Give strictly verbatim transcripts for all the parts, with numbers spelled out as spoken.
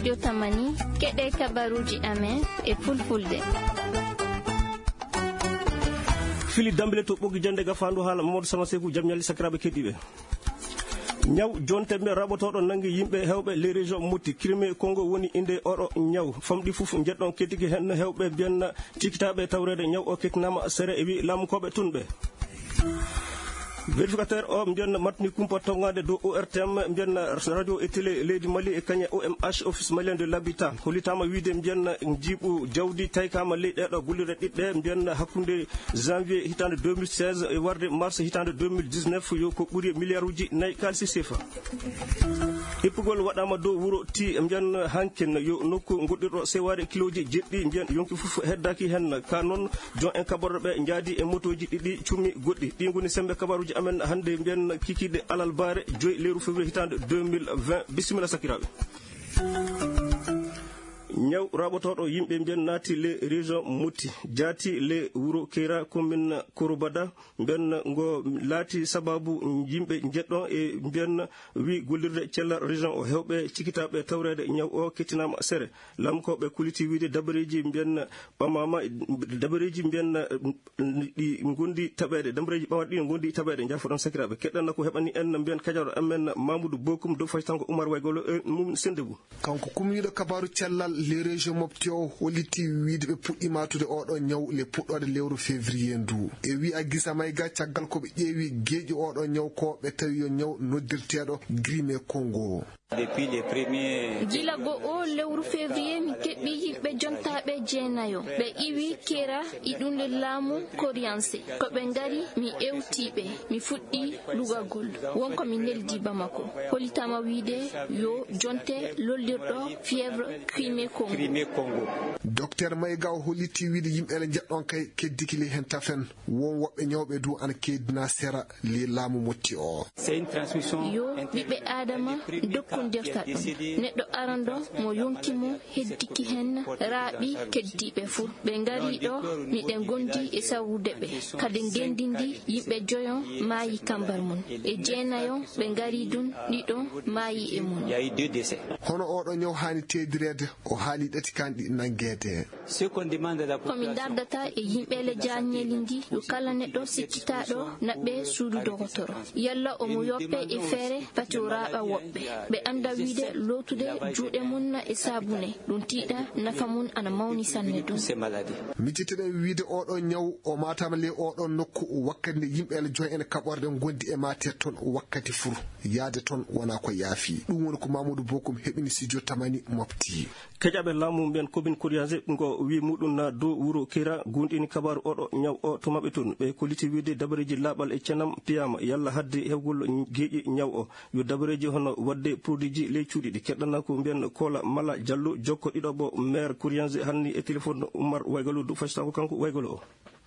Jotamani, keɗe kabaruuji amen e fulfulde. Fili dambile to ɓoggi jande ga fandu haala Mamadou Sama Seku, jam ñalli sakiraaɓe keɗiiɓe. Ñaw jonte mbiyen raɓotooɗo nangi yimɓe hewɓe les régions motti Crimée Congo woni inde oɗo ñaw. Famɗi fof njeɗɗon keddiki hen hewɓe mbiyen cikitaaɓe tawreede ñaw o kettinaama sere e wi laamukooɓe tun ɓe. Vérificateur o mbiyen matni kumpa tongaade dow O R T M mbiyen radio e télé leydi Mali e kañe O M H, Office Malien de l'Habitat, hollitaama wiide mbiyen njiiɓu jawdi taykaama ley ɗeeɗo gollirɗe ɗiɗɗe mbiyen hakkunde janvier hitaande deux mille seize e warde mars hitaande deux mille dix-neuf yo ko ɓuri milliard uji nayi kaalisi sefa. Ippugol waɗaama dow wuro Ti mbiyen hankin yo nokku goɗɗirɗo sewaare kilooji jeɗɗi mbiyen yonki fof heddaaki hen ka noon. Jon en kaɓorɗo ɓe njaadi e motooji ɗiɗi cummi goɗɗi. Ɗi ngoni sembe kabaruuji amen hannde mbiyen kikiiɗe alarbaare joyi lewru février hitaande deux mille vingt. Bisimilla sakiraaɓe. Ñaw raɓotooɗo yimɓe mbiyen naati le région Motti, jaati le wuro Keyra, commune Korobada, mbiyen ngo laati sababu yimɓe njeɗɗon e mbiyen wi gollirde cellal région o hewɓe cikitaaɓe tawreede ñaw o kettinaama sere. Laamukooɓe kolliti wiide dabareeji mbiyen ɓamaama, dabareeji mbiyen ɗi ngondi taɓeede, dabareeji ɓamaɗe ɗi ngondi taɓeede. Jaafoɗon sakiraaɓe, keɗɗanna ko heɓani en mbiyen kajaɗo amen Mamoudou Bokum dow faytango Oumar Waygolo e mum Sendebou. Kanko kumniiɗo kabaaru cellal le région Mopti o holliti wiide ɓe puɗɗi maatude oɗo ñaw le puɗɗoode lewru février ndu. E wi'a Gisa Mayga, caggal ko ɓe ƴeewi geeƴi oɗo ñaw ko ɓe tawi yo ñaw noddirteeɗo Grimé Congo. Gila go o lewru février mi keɓɓi yimɓe jontaaɓe jeenayo. Ɓe iwi Kera e ɗum le laamu Koriyanse. Ko ɓe ngari mi ewti ɓe, mi fuɗɗi lugagol. Wonko mi neldi Bamako. Hollitaama wiide yo jonte lollirɗo fièvre Crimée Congo. Docteur Mayga o holliti wiide yimɓe le njeɗɗon kay keddiki le hen tafen. Won woɓɓe ñawɓe du ana keddina sera le laamu Motti o. Yo ɓiɓɓe Aadama dokkondirta ɗum. Neɗɗo arando mo yonki mum heddiki hen raaɓi keddiiɓe fuu. Ɓe ngari ɗo, miɗen gondi e sawrude ɓe. Kadi ngendi ndi, yimɓe joyo maayi kambar mum. E jeenayo ɓe ngari dun, ɗiɗo maayi e mum. Hono oɗo ñaw haani teedireede, o haali ɗati kanɗi nangeede. Ko min dardata e yimɓe le jaanñeeli ndi, yo kala neɗɗo sikkitaaɗo naɓɓe suudu dogotoro. Yalla omo yoppe e feere pati o raaɓa woɓɓe. Ɓe annda wiide lootude juuɗe mum e saabune, ɗum tiiɗa nafa mum ana mawni sanne ɗum. Miccitoɗen wiide oɗo ñaw o maataama le oɗo nokku wakkati nde yimɓe le joy en kaɓorɗe ngondi e maater toon wakkati fur. Yaade toon wona ko yaafi. Ɗum woni ko Mamoudou Bokum heɓini studio Tamani Mopti. Keƴaɓe laamu mbiyen commune Koriyanse ngo wi muɗum na dow wuro Kira gunɗini kabaaru oɗo ñaw o to maɓɓe toon. Ɓe kolliti wiide dabareeji laaɓal e cenam piyaama yalla hadde hewgol geeƴi ñaw o. Yo dabareeji hono waɗde produitji ley cuuɗi ɗi. Keɗɗana ko mbiyen Kola Mala Jallo jokko ɗiɗo ɓo maire Koriyanse hanni e téléphone Oumar Waygalo dow faysago kanko Waygalo o.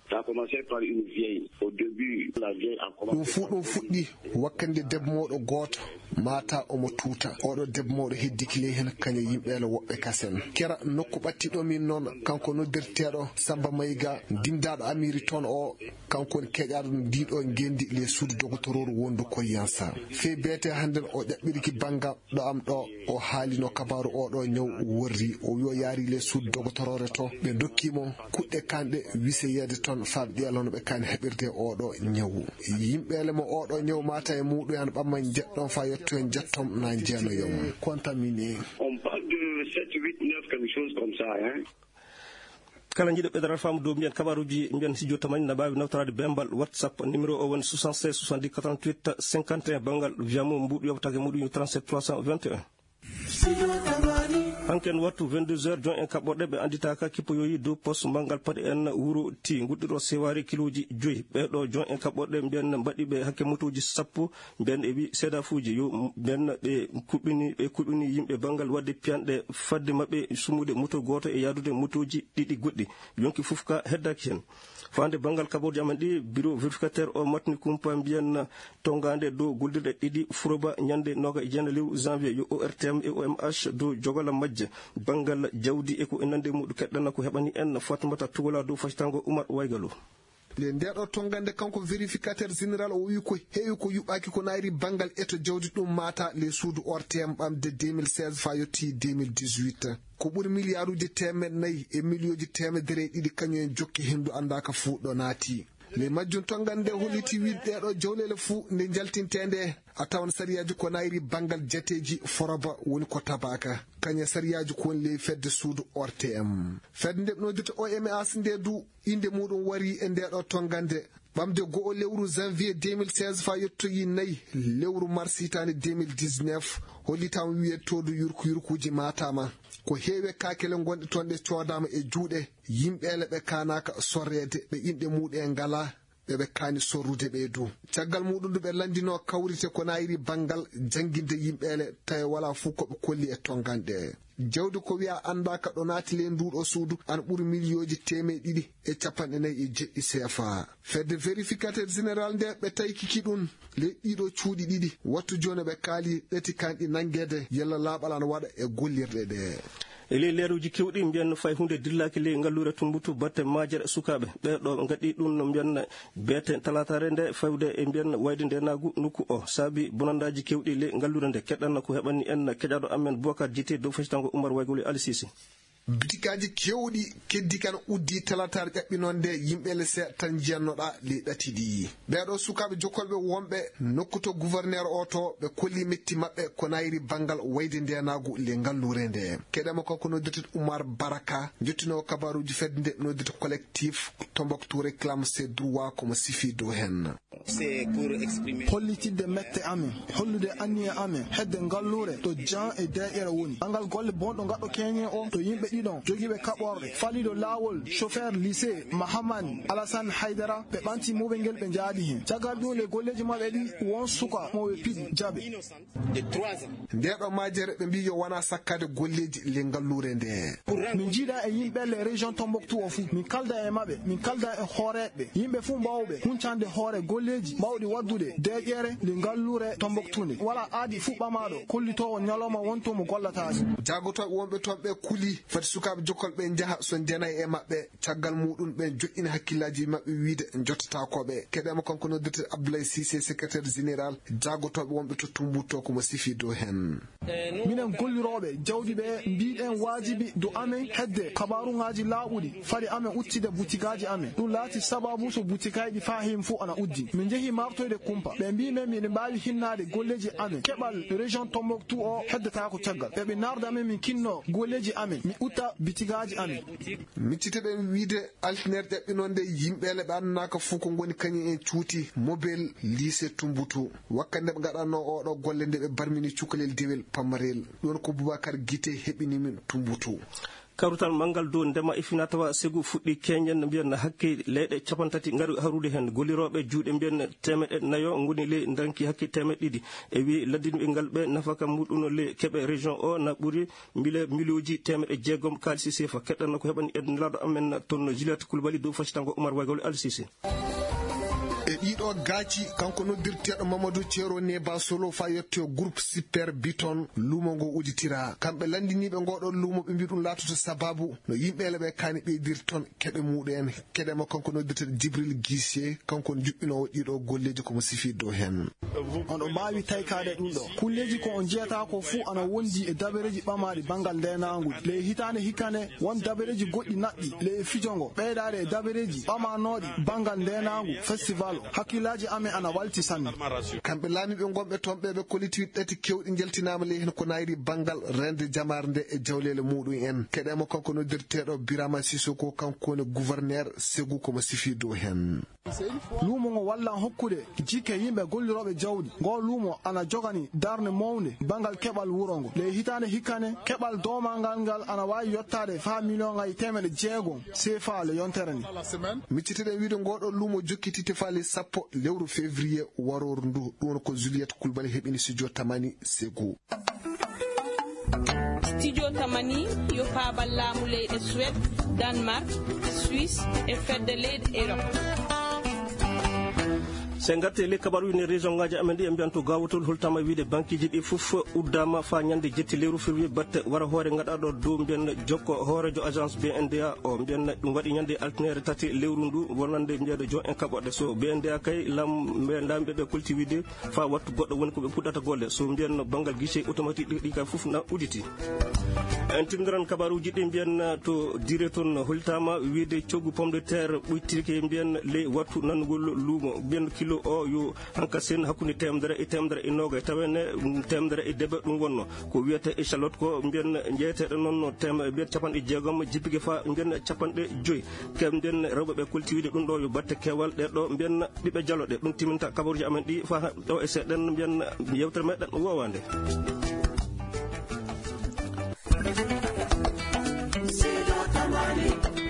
Ça a commencé par une vieille. Au début, la vieille a commencé. Ɗum fuu ɗum fuɗɗi wakkati nde debbo mawɗo gooto maata omo tuuta. Oɗo debbo mawɗo heddiki ley heen kaña yimɓe le woɓɓe kasen. Kera nokku ɓattiɗo min noon, kanko noddirteeɗo Samba Mayga, dimdaaɗo Amiri toon o, kanko woni keƴaaɗo ndiɗo ngenndi le suudu dogotorooru wondu Koriyansa. Fey beete hannden o ƴaɓɓiriki banngal ɗo am ɗo, o haalino kabaaru oɗo ñaw worri. O wi o yaari le suudu dogotoroore to, ɓe ndokki mo kuɗɗe kanɗe wiseyeede toon faa ɓe ƴeelono ɓe kaani heɓirde oɗo ñaw. Yimɓe le mo oɗo ñaw maata e muɗum an ɓamma njeɗɗon faa yetto en njettom na njeenoyom. Contaminé. On parle de sept, huit, neuf, quelque chose comme ça, hein. Kala jiɗo ɓeydaral faamu dow mbiyen kabaruuji mbiyen si jotta mañ na mbaawi nawtoraade bembal WhatsApp. Numéro o woni soixante-seize soixante-dix quatre-vingt-huit cinquante et un, banngal via mo mbuuɗu yewtake muɗum yo trente-sept trois cent vingt et un. Hanken wattu vingt-deux heures, jon en kaɓɓorɗe ɓe annditaaka kippoyoyi dow poste manngal paɗe en wuro ti ngudduɗo sewaare kilooji joyi. Ɓeeɗo jon en kaɓɓorɗe mbiyen mbaɗi ɓe hakke motooji sappo, mbiyen e wi seedafuuji yo mbiyen ɓe kuɓɓini, ɓe kuɓɓini yimɓe banngal waɗde piyanɗe fadde maɓɓe sumude moto gooto e yaadude motooji ɗiɗi goɗɗi. Yonki fof ka heddaaki heen. Faande banngal kaɓorɗe amen ɗi, bureau vérificateur o matni kumpa mbiyen tongaande dow gollirɗe ɗiɗi Furoba ñande noogaas e jeenayi lewru janvier yo O R T M e O M H dow jogala majje banngal jawdi e ko e nande muɗum. Keɗɗana ko heɓani en Fatmata Tugola dow facitango Oumar Waygalo. Le ndeeɗo tonngande kanko vérificateur général o wi ko heewi ko yuɓɓaaki ko naayri banngal eto jawdi ɗum maata le suudu ortem ɓamde deux mille seize fa yotti deux mille dix-huit. Ko ɓuri miliyaaruuji teemeɗe nayi e miliyooji teemedere e ɗiɗi kañum en jokki henndu anndaaka fuu ɗo naati. Le majjum tonngande holliti wiide ɗeeɗo jawleele fuu nde njaltinteende a tawan sariyaaji ko naayri banngal jateeji foroba woni ko tabaaka. Kañe sariyaaji ko woni ley fedde suudu ortem. Fedde nde ɓe noddirta omas nde du innde muɗum wari e ndeeɗo tonngande. Ɓamde go'o lewru janvier deux mille seize fa yettoyi nayi lewru mars hitaande deux mille dix-neuf, hollitaama wiye toodu yurku yurkuuji maataama. Ko heewe kaakele ngonɗe toon ɗe coodaama e juuɗe yimɓeele ɓe kaanaaka sorreede, ɓe inɗe muɗum en ngalaa, ɓe ɓe kaani sorrude ɓe du. Caggal muɗum du ɓe lanndinoo kawrite ko naayri banngal jannginde yimɓeele, tawi walaa fuu ko ɓe kolli e tonngande. Jawdi ko wiya anndaaka ɗo naati ley nduuɗo suudu, ana ɓuri miliyooji teemeɗe ɗiɗi e capanɗe nayi e jeɗɗi seefa. Fedde vérificateur général nde ɓe taykiki ɗum ley ɗiɗo cuuɗi ɗiɗi, wattu jooni ɓe kaali ɗati kanɗi nanngeede yalla laaɓal ana waɗa e gollirɗe ɗe. E ley leeruuji keewɗi, mbiyen fay huunde dillaaki ley ngalluure Tumbuttu batte majere sukaaɓe. Ɓee ɗo ngaɗi ɗum no mbiyen beete talaataare nde fawde e mbiyen wayde ndeenaagu nokku o. Saabi bonandaaji keewɗi ley ngalluure nde. Keɗan ko heɓani en keƴaaɗo amen Bokar Jite dow fasitango Umar Waygol e Ali Sise. Bitikaaji keewɗi keddi kan uddi talaataare ƴaɓɓinoonde yimɓe le seeɗa tan njiyannoɗaa ley ɗati ɗi. Ɓee ɗo sukaaɓe jokkolɓe wonɓe nokku to gouverneur o to ɓe kolli metti maɓɓe ko nayri banngal wayde ndeenaagu le ngalluure nde. Keɗema kanko noddirte Umar Baraka, jottinoowo kabaaruuji fedde nde noddirte collectif Tombouctou réclame ses droits komo sifi dow hen. Hollitidde mette amen, hollude anniya amen hedde ngalluure to Jan e deeƴere woni. Angal golle bonɗo ngaɗɗo keñe o to yimɓe ɗiɗon jogiiɓe kaɓorɗe, faliiɗo laawol chauffeur lycée Mahamani Alassane Haydara, ɓe ɓanti muɓel ngel ɓe njaadi heen. Caggal ɗum le golleeji maɓɓe ɗi won suka mo ɓe piɗi jaɓe. Ndeeɗo majere ɓe mbii yo wona sakkade golleeji le ngalluure nde. Min njiida e yimɓe le région Tombouctou o fuu, min kalda e maɓɓe, min kalda e hooreeɓe, yimɓe fuu mbawɓe huncande hoore golleeji mbawɗi waddude deeƴere le ngalluure Tombouctou nde. Wala aadi fuu ɓamaaɗo kollitoowo ñalawma wonto mo gollataake. Jaagotooɓe wonɓe toon ɓe kuli fati sukaaɓe jokkolɓe njaha so ndenay e maɓɓe. Caggal muɗum ɓen joɗɗini hakkillaaji maɓɓe wiide jottatakoɓe. Keɗema kanko noddirte Abdoulaye Cissé, secrétaire général jaagotooɓe wonɓe to Tumbuttu komo sifi dow hen. Minen gollirooɓe jawdi ɓe mbiɗen waajibi dow amen hedde kabaruŋaaji laaɓuɗi fade amen udditde butigaaji amen. Ɗum laati sababu so butigaaji ɗi faa heen fof ana uddii. Min njehii maartoyde kumpa. Ɓe mbii men miɗen mbaawi hinnaade golleeji amen. Keɓal région Tombouctou o heddataako caggal. Eɓe naarda men min kinnoo golleeji amen, min utta bitigaaji amen. Miccite ɗen wiide Altinere ƴaɓɓinoo nde, yimɓeele ɓe anndaaka fof ko ngoni kañum en cuuti mobel lycée Tumbuttu. Wakkati nde ɓe ngaɗannoo ooɗoo golle nde ɓe barmini cukalel dewel pamarel. Ɗum ko Boubacar Guité heɓini min Tumbuttu. Kawrital manngal dow ndema e finaa-tawaa Segu fuɗɗii keñen, mbiyen hakke leyɗe cappanɗe tati ngari harude heen. Gollirooɓe juuɗe mbiyen teemeɗɗe nayo ngoni ley ndanki hakke teemeɗɗe ɗiɗi. E wii lanndinɓe ngal ɓe nafaka muɗum ley keɓe région o na ɓuri mbile miliyooji teemeɗɗe jeegom kaalisi seefa. Keɗɗanno ko heɓani en nelaaɗo amen toon Juliette Coulibaly dow faccitanngo Oumar Waygol Ali Cissé. E ɗiɗo gaaci, kanko noddirteeɗo Mamadou Thiero Neba Solo fa yetto groupe Super Biton, luumo ngo udditira. Kamɓe lanndiniiɓe ngoɗo luumo ɓe mbi ɗum laatoto sababu no yimɓeele ɓe kaani ɓeydir toon keɓe muɗum en. Keɗema kanko noddirteeɗo Djibril Guissé, kanko on juɓɓinoowo ɗiɗo golleeji komo sifi dow heen. On ɗo mbaawi taykaade ɗum ɗo. Kulleeji ko on njiyata ko fuu ana wondi e dabareeji ɓamaaɗi banngal ndeenaangu. Ley hitaande hikkande, won dabareeji goɗɗi naɓɗi ley fijo ngo, ɓeydaade e dabareeji ɓamaanooɗi banngal ndeenaangu festival o. Hakkillaaji amen ana walti sanne. Kamɓe laamiiɓe ngonɓe toon ɓe, ɓe kolliti ɗati keewɗi njaltinaama ley heen ko nayri banngal reende jamaare nde e jawleele muɗum en. Keɗema kanko noddirteeɗo Birama Sissoko, kanko woni gouverneur Segu komo sifi dow heen. Luumo ngo wallan hokkude jikke yimɓe gollirooɓe jawdi. Ngoo luumo ana jogani darnde mawnde banngal keɓal wuro ngo. Ley hitaande hikkande, keɓal doomangal ngal ana waawi yottaade faa miliyoŋaaji teemeɗɗe jeegom seefa le yontere nde. Micciteɗen wiide ngooɗoo luumo jokkititte faa ley sappo lewru février warooru ndu. Ɗum woni ko Juliette Coulibaly heɓini studio Tamani Segu. Studio Tamani yo paabal laamu leyɗe Suède, Danemark, Suisse e fedde leyɗe Europe. So en ngartii e ley kabaruuji, e région ngaaji amen ɗi, en mbiyan to Gawotol, holtaama wiyde bankiiji ɗi fof uddaama faa ñande jetti lewru février, batte wara hoore ngaɗaaɗo dow mbiyan jokko hooreejo agence B N D A o. Mbiyan ɗum waɗi ñande altine tati lewru ndu, wonande mbiyan jooni en kaɓoɗe. So B N D A kay, lam-, mbe-, laamiiɓe ɓe kolti wiyde faa wattu goɗɗo woni ko ɓe puɗɗata golle. So mbiyan banngal guichet automatique ɗi, ɗi kay fof na udditii. En timmidiran kabaruuji ɗi mbiyan to Diri toon, holtaama wiyde coggu pomme de terre ɓuytirke mbiyan ley wattu nanngol luumo. Mbiyan kilo o yo hanka sen hakkunde teemedere e teemedere e noogay, tawa ne, mm, teemedere e debe ɗum wonno. Ko wiyata échalote ko mbiyan jeyeteeɗo noon no teem-, mbiyan capanɗe jeegom jippike faa mbiyan capanɗe joyi. Kam mbiyan rewɓe ɓe kolti wiyde ɗum ɗo yo batte keewal ɗe ɗo mbiyan ɓiɓɓe jalo ɗe. Ɗum timminta kabaruuji amen ɗi faa ɗo e seeɗen mbiyan yewtere meɗen woowande. Sido Tamani.